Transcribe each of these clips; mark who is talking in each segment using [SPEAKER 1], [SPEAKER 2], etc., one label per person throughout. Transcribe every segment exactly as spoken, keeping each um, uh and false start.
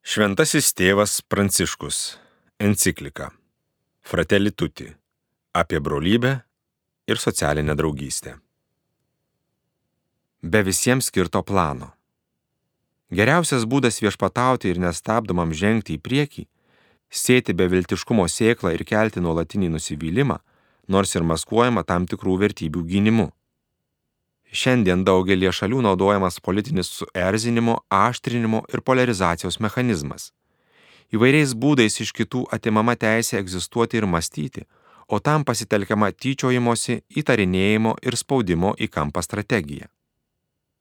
[SPEAKER 1] Šventasis tėvas Pranciškus. Enciklika Fratelli Tutti apie brolybę ir socialinę draugystę. Be visiems skirto plano. Geriausias būdas viešpatauti ir nestabdomam žengti į priekį, sėti beviltiškumo sėklą ir kelti nuolatinį nusivylimą, nors ir maskuojama tam tikrų vertybių gynimu. Šiandien daugelie šalių naudojamas politinis suerzinimo, aštrinimo ir polarizacijos mechanizmas. Įvairiais būdais iš kitų atimama teisė egzistuoti ir mąstyti, o tam pasitelkiama tyčiojimosi, įtarinėjimo ir spaudimo į kampą strategija.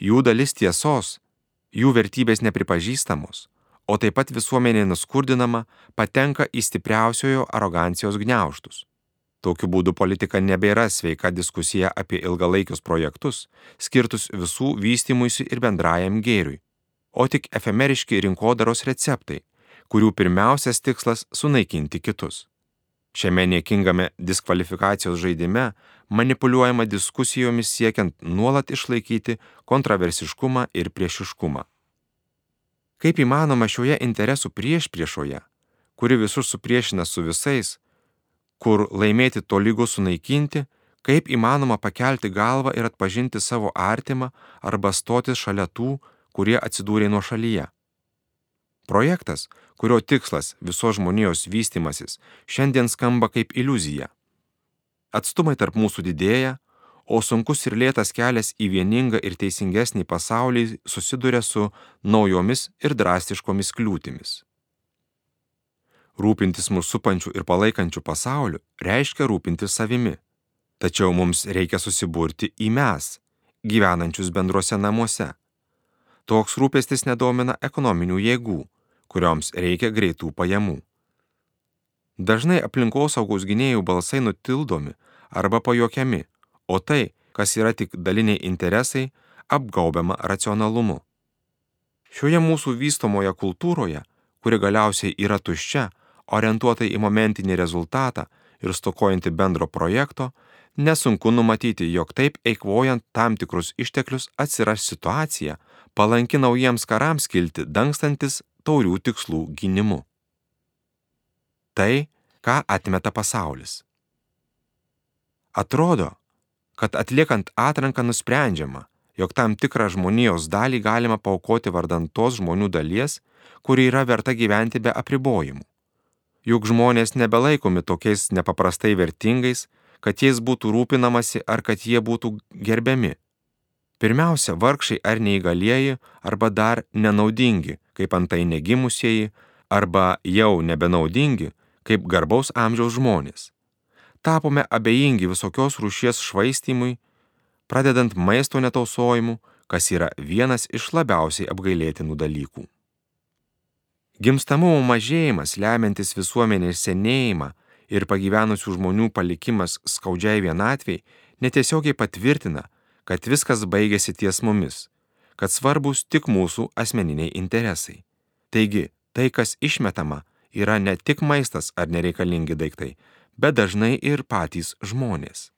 [SPEAKER 1] Jų dalis tiesos, jų vertybės nepripažįstamos, o taip pat visuomenė nuskurdinama, patenka į stipriausiojo arogancijos gniaužtus. Tokiu būdu politika nebėra sveika diskusija apie ilgalaikius projektus, skirtus visų vystymuisi ir bendrajam gėriui, o tik efemeriški rinkodaros receptai, kurių pirmiausias tikslas sunaikinti kitus. Šiame niekingame diskvalifikacijos žaidime manipuliuojama diskusijomis siekiant nuolat išlaikyti kontroversiškumą ir priešiškumą. Kaip įmanoma šioje interesų priešpriešoje, kuri visus supriešina su visais, kur laimėti tolygu sunaikinti, kaip įmanoma pakelti galvą ir atpažinti savo artimą arba stotis šalia tų, kurie atsidūrė nuošalyje. Projektas, kurio tikslas visos žmonijos vystymasis, šiandien skamba kaip iliuzija. Atstumai tarp mūsų didėja, o sunkus ir lėtas kelias į vieningą ir teisingesnį pasaulį susiduria su naujomis ir drastiškomis kliūtimis. Rūpintis mūsų supančių ir palaikančių pasauliu reiškia rūpintis savimi. Tačiau mums reikia susiburti į mes, gyvenančius bendruose namuose. Toks rūpestis nedomina ekonominių jėgų, kurioms reikia greitų pajamų. Dažnai aplinkosaugos gynėjų balsai nutildomi arba pajuokiami, o tai, kas yra tik daliniai interesai, apgaubiama racionalumu. Šioje mūsų vystomoje kultūroje, kuri galiausiai yra tuščia, orientuotai į momentinį rezultatą ir stokojanti bendro projekto, nesunku numatyti, jog taip eikvojant tam tikrus išteklius atsiras situacija, palanki naujiems karams kilti, dangstantis taurių tikslų gynimu. Tai, ką atmeta pasaulis. Atrodo, kad atliekant atranką nusprendžiama, jog tam tikrą žmonijos dalį galima paaukoti vardan tos žmonių dalies, kuri yra verta gyventi be apribojimų. Juk žmonės nebelaikomi tokiais nepaprastai vertingais, kad jais būtų rūpinamasi ar kad jie būtų gerbiami. Pirmiausia, vargšai ar neįgalieji, arba dar nenaudingi, kaip antai negimusieji, arba jau nebenaudingi, kaip garbaus amžiaus žmonės. Tapome abejingi visokios rūšies švaistymui, pradedant maisto netausojimu, kas yra vienas iš labiausiai apgailėtinų dalykų. Gimstamumo mažėjimas, lemiantis visuomenės senėjimą ir pagyvenusių žmonių palikimas skaudžiai vienatvei, netiesiogiai patvirtina, kad viskas baigėsi ties mumis, kad svarbus tik mūsų asmeniniai interesai. Taigi, tai, kas išmetama, yra ne tik maistas ar nereikalingi daiktai, bet dažnai ir patys žmonės.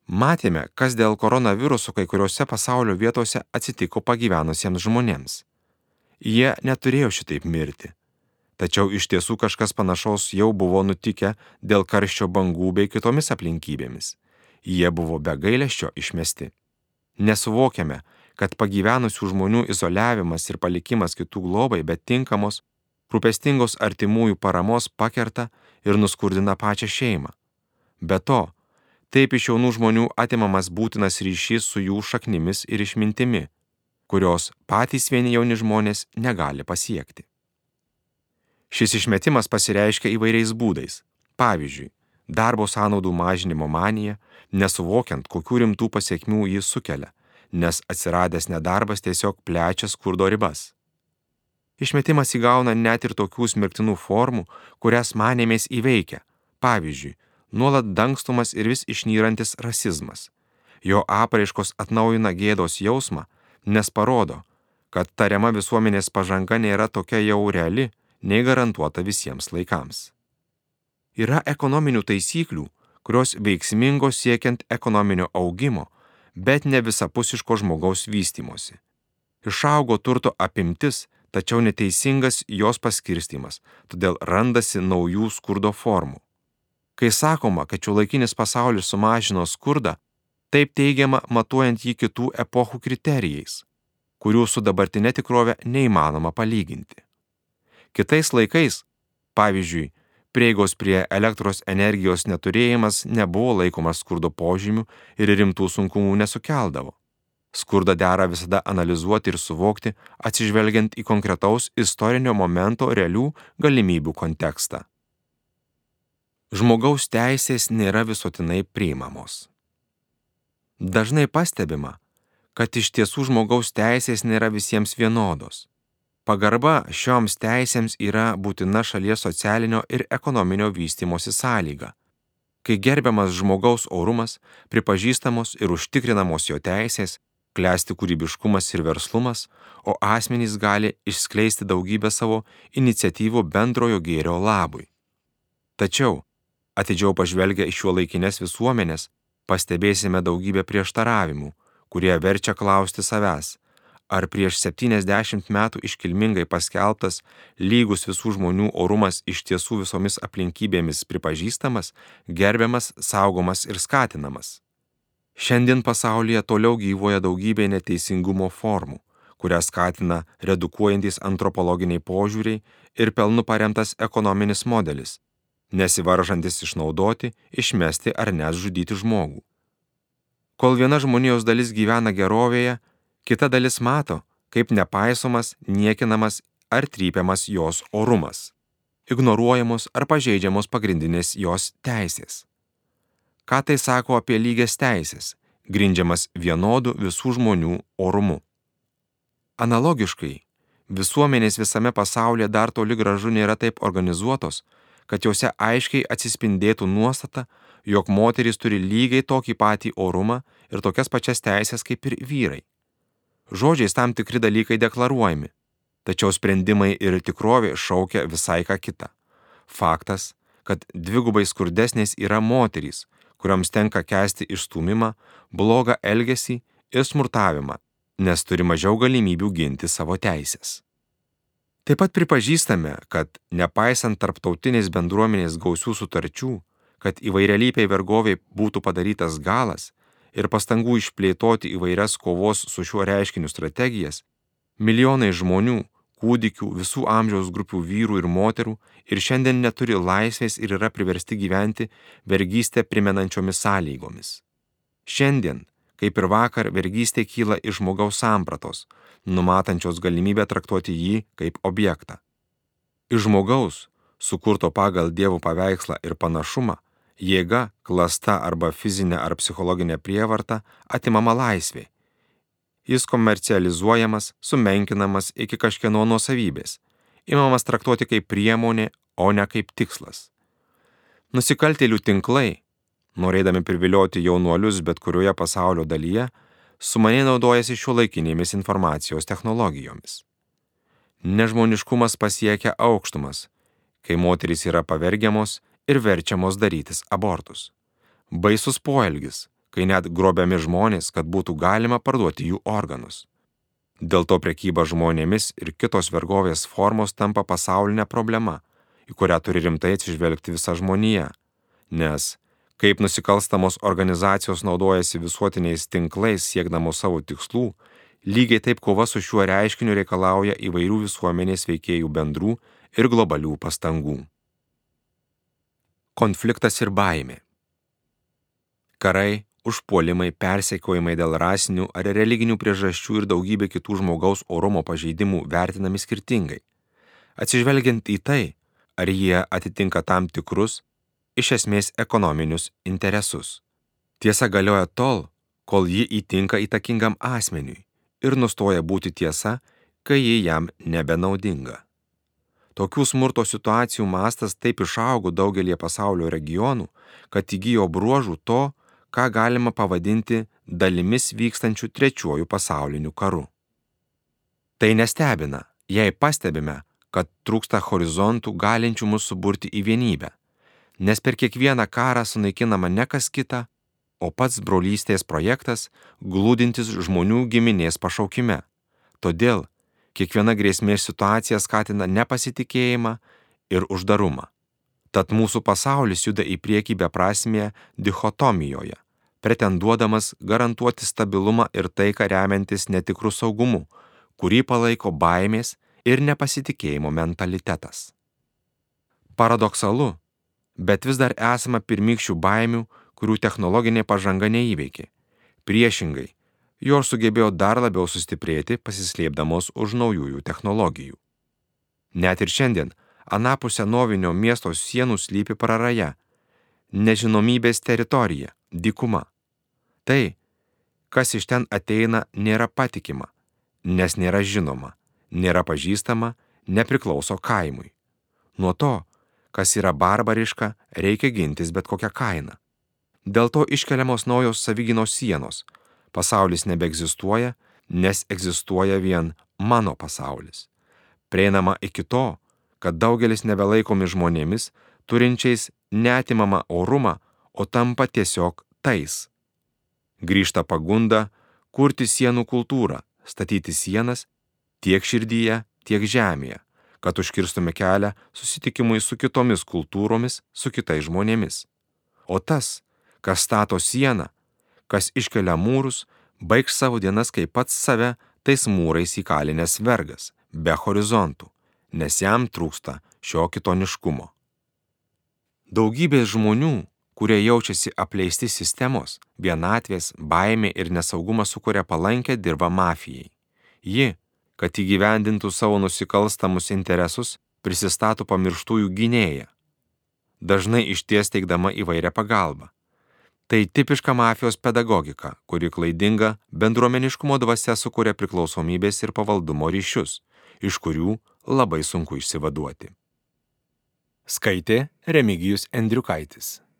[SPEAKER 1] Matėme, kas dėl koronaviruso kai kuriuose pasaulio vietose atsitiko pagyvenusiems žmonėms. Jie neturėjo šitaip mirti. Tačiau iš tiesų kažkas panašaus jau buvo nutikę dėl karščio bangų bei kitomis aplinkybėmis. Jie buvo be gailesčio išmesti. Nesuvokiame, kad pagyvenusių žmonių izoliavimas ir palikimas kitų globai, bet tinkamos, rūpestingos artimųjų paramos pakerta ir nuskurdina pačią šeimą. Be to, taip iš jaunų žmonių atimamas būtinas ryšys su jų šaknimis ir išmintimi, kurios patys vieni jauni žmonės negali pasiekti. Šis išmetimas pasireiškia įvairiais būdais. Pavyzdžiui, darbo sąnaudų mažinimo manija, nesuvokiant, kokių rimtų pasekmių jis sukelia, nes atsiradęs nedarbas tiesiog plečia skurdo ribas. Išmetimas įgauna net ir tokių smirktinų formų, kurias manėmės įveikia. Pavyzdžiui, nuolat dangstomas ir vis išnyrantis rasizmas. Jo apraiškos atnaujina gėdos jausmą, nes parodo, kad tariama visuomenės pažanga nėra tokia jau reali, nei garantuota visiems laikams. Yra ekonominių taisyklių, kurios veiksmingos siekiant ekonominio augimo, bet ne visapusiško žmogaus vystymosi. Išaugo turto apimtis, tačiau neteisingas jos paskirstimas, todėl randasi naujų skurdo formų. Kai sakoma, kad šiuolaikinis pasaulis sumažino skurdą, taip teigiama matuojant jį kitų epochų kriterijais, kurių su dabartinė tikrove neįmanoma palyginti. Kitais laikais, pavyzdžiui, prieigos prie elektros energijos neturėjimas nebuvo laikomas skurdo požymių ir rimtų sunkumų nesukeldavo. Skurdą dera visada analizuoti ir suvokti, atsižvelgiant į konkretaus istorinio momento realių galimybių kontekstą. Žmogaus teisės nėra visuotinai priimamos. Dažnai pastebima, kad iš tiesų žmogaus teisės nėra visiems vienodos. Pagarba šioms teisėms yra būtina šalies socialinio ir ekonominio vystymosi sąlyga. Kai gerbiamas žmogaus orumas, pripažįstamos ir užtikrinamos jo teisės, klesti kūrybiškumas ir verslumas, o asmenys gali išskleisti daugybę savo iniciatyvų bendrojo gėrio labui. Tačiau, atidžiau pažvelgę į šiuolaikinės visuomenės, pastebėsime daugybę prieštaravimų, kurie verčia klausti savęs, ar prieš septyniasdešimt metų iškilmingai paskelbtas lygus visų žmonių orumas iš tiesų visomis aplinkybėmis pripažįstamas, gerbiamas, saugomas ir skatinamas. Šiandien pasaulyje toliau gyvuoja daugybė neteisingumo formų, kurias skatina redukuojantis antropologiniai požiūriai ir pelnu paremtas ekonominis modelis, nesivaržantis išnaudoti, išmesti ar net žudyti žmogų. Kol viena žmonijos dalis gyvena gerovėje, kita dalis mato, kaip nepaisomas, niekinamas ar trypiamas jos orumas, ignoruojamos ar pažeidžiamos pagrindinės jos teisės. Ką tai sako apie lygias teisės, grindžiamas vienodų visų žmonių orumu? Analogiškai, visuomenės visame pasaulyje dar toli gražu nėra taip organizuotos, kad jose aiškiai atsispindėtų nuostata, jog moterys turi lygiai tokį patį orumą ir tokias pačias teisės kaip ir vyrai. Žodžiais tam tikri dalykai deklaruojami, tačiau sprendimai ir tikrovė šaukia visai ką kitą. Faktas, kad dvigubai skurdesnės yra moterys, kuriams tenka kęsti išstūmimą, blogą elgesį ir smurtavimą, nes turi mažiau galimybių ginti savo teisės. Taip pat pripažįstame, kad nepaisant tarptautinės bendruomenės gausių sutarčių, kad įvairialypiai vergoviai būtų padarytas galas ir pastangų išplėtoti įvairias kovos su šiuo reiškiniu strategijas, milijonai žmonių, kūdikių, visų amžiaus grupių vyrų ir moterų ir šiandien neturi laisvės ir yra priversti gyventi vergystę primenančiomis sąlygomis. Šiandien, kaip ir vakar, vergystė kyla iš žmogaus sampratos, numatančios galimybę traktuoti jį kaip objektą. Iš žmogaus, sukurto pagal Dievo paveikslą ir panašumą, jėga, klasta arba fizinė ar psichologinė prievarta atimama laisvė. Jis komercializuojamas, sumenkinamas iki kažkieno nuosavybės, imamas traktuoti kaip priemonė, o ne kaip tikslas. Nusikaltėlių tinklai, norėdami privilioti jaunuolius bet kurioje pasaulio dalyje, sumaniai naudojasi šiuolaikinėmis informacijos technologijomis. Nežmoniškumas pasiekia aukštumas, kai moterys yra pavergiamos ir verčiamos darytis abortus. Baisus poelgis, kai net grobiami žmonės, kad būtų galima parduoti jų organus. Dėl to prekyba žmonėmis ir kitos vergovės formos tampa pasaulinė problema, į kurią turi rimtai atsižvelgti visa žmonija, nes kaip nusikalstamos organizacijos naudojasi visuotiniais tinklais siekdamos savo tikslų, lygiai taip kova su šiuo reiškiniu reikalauja įvairių visuomenės veikėjų bendrų ir globalių pastangų. Konfliktas ir baimė. Karai, užpuolimai, persekiojimai dėl rasinių ar religinių priežasčių ir daugybė kitų žmogaus orumo pažeidimų vertinami skirtingai, atsižvelgiant į tai, ar jie atitinka tam tikrus, iš esmės ekonominius interesus. Tiesa galioja tol, kol ji įtinka įtakingam asmeniui ir nustoja būti tiesa, kai ji jam nebenaudinga. Tokių smurto situacijų mastas taip išaugo daugelie pasaulio regionų, kad įgijo bruožų to, ką galima pavadinti dalimis vykstančių trečiuoju pasauliniu karu. Tai nestebina, jei pastebime, kad trūksta horizontų galinčių mus suburti į vienybę, nes per kiekvieną karą sunaikinama ne kas kita, o pats brolystės projektas, glūdintis žmonių giminės pašaukime. Todėl, Kiekviena grėsmės situacija skatina nepasitikėjimą ir uždarumą. Tad mūsų pasaulis juda į priekį beprasmėje dichotomijoje, pretenduodamas garantuoti stabilumą ir taiką remiantis netikrų saugumu, kurį palaiko baimės ir nepasitikėjimo mentalitetas. Paradoksalu, bet vis dar esama pirmykščių baimių, kurių technologinė pažanga neįveikė. Priešingai, jos sugebėjo dar labiau sustiprėti, pasislėpdamos už naujųjų technologijų. Net ir šiandien anapus senovinio miesto sienų slypi praraja, nežinomybės teritorija, dykuma. Tai, kas iš ten ateina, nėra patikima, nes nėra žinoma, nėra pažįstama, nepriklauso kaimui. Nuo to, kas yra barbariška, reikia gintis bet kokią kainą. Dėl to iškeliamos naujos savigynos sienos. Pasaulis nebeegzistuoja, nes egzistuoja vien mano pasaulis. Prieinama iki to, kad daugelis nebelaikomi žmonėmis, turinčiais neatimamą orumą, o tampa tiesiog tais. Grįžta pagunda kurti sienų kultūrą, statyti sienas tiek širdyje, tiek žemėje, kad užkirstume kelią susitikimui su kitomis kultūromis, su kitais žmonėmis. O tas, kas stato sieną, kas iškelia mūrus, baigs savo dienas kaip pats save tais mūrais įkalinęs vergas, be horizontų, nes jam trūksta šio kitoniškumo. Daugybės žmonių, kurie jaučiasi apleisti sistemos, vienatvės, baimė ir nesaugumas sukuria palankę dirvą mafijai. Ji, kad įgyvendintų savo nusikalstamus interesus, prisistato pamirštųjų gynėją, dažnai išties teikdama įvairią pagalbą. Tai tipiška mafijos pedagogika, kuri klaidinga bendruomeniškumo dvasia sukuria priklausomybės ir pavaldumo ryšius, iš kurių labai sunku išsivaduoti. Skaitė Remigijus Endriukaitis.